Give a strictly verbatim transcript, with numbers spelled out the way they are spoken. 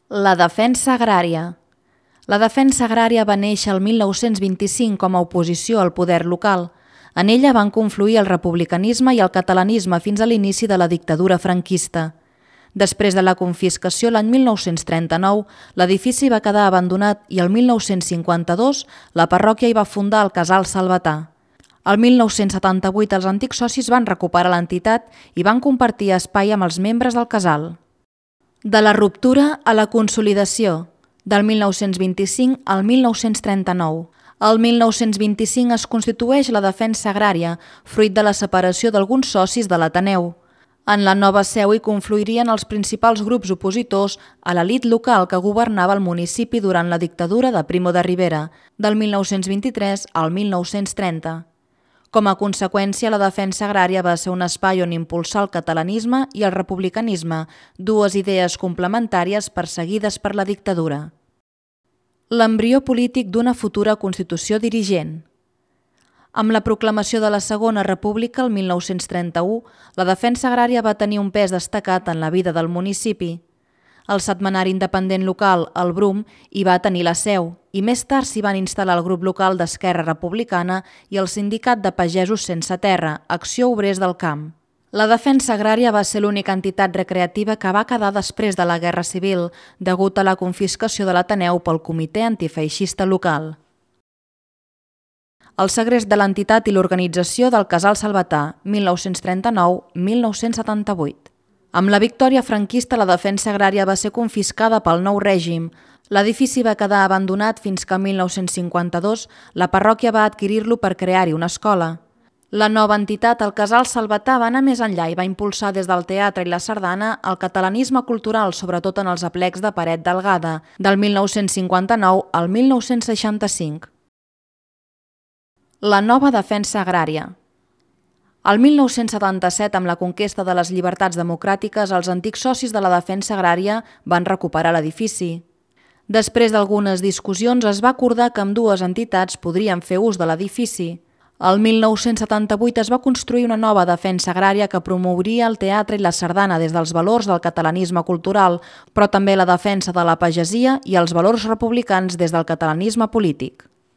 La defensa agrària. La defensa agrària va néixer el mil nou-cents vint-i-cinc com a oposició al poder local. En ella van confluir el republicanisme i el catalanisme fins a l'inici de la dictadura franquista. Després de la confiscació l'any mil nou-cents trenta-nou, l'edifici va quedar abandonat i el mil nou-cents cinquanta-dos la parròquia hi va fundar el Casal Salvatà. El mil nou-cents setanta-vuit els antics socis van recuperar l'entitat i van compartir espai amb els membres del casal. De la ruptura a la consolidació, del mil nou-cents vint-i-cinc al mil nou-cents trenta-nou. El mil nou-cents vint-i-cinc es constitueix la defensa agrària, fruit de la separació d'alguns socis de l'Ateneu. En la nova seu hi confluirien els principals grups opositors a l'elit local que governava el municipi durant la dictadura de Primo de Rivera, del mil nou-cents vint-i-tres al mil nou-cents trenta. Com a conseqüència, la defensa agrària va ser un espai on impulsar el catalanisme i el republicanisme, dues idees complementàries perseguides per la dictadura. L'embrió polític d'una futura Constitució dirigent. Amb la proclamació de la Segona República el mil nou-cents trenta-u, la defensa agrària va tenir un pes destacat en la vida del municipi. El setmanari independent local, el Brum, hi va tenir la seu i més tard s'hi van instal·lar el grup local d'Esquerra Republicana i el sindicat de pagesos sense terra, Acció Obrers del Camp. La defensa agrària va ser l'única entitat recreativa que va quedar després de la Guerra Civil, degut a la confiscació de l'Ateneu pel Comitè Antifeixista local. El segrest de l'entitat i l'organització del Casal Salvatà, mil nou-cents trenta-nou a mil nou-cents setanta-vuit. Amb la victòria franquista, la defensa agrària va ser confiscada pel nou règim. L'edifici va quedar abandonat fins que el mil nou-cents cinquanta-dos la parròquia va adquirir-lo per crear-hi una escola. La nova entitat, el Casal Salvatà, va anar més enllà i va impulsar des del teatre i la sardana el catalanisme cultural, sobretot en els aplecs de Paret Delgada, del mil nou-cents cinquanta-nou al mil nou-cents seixanta-cinc. La nova defensa agrària. El mil nou-cents setanta-set, amb la conquesta de les llibertats democràtiques, els antics socis de la defensa agrària van recuperar l'edifici. Després d'algunes discussions, es va acordar que ambdues entitats podrien fer ús de l'edifici. El mil nou-cents setanta-vuit es va construir una nova defensa agrària que promouria el teatre i la sardana des dels valors del catalanisme cultural, però també la defensa de la pagesia i els valors republicans des del catalanisme polític.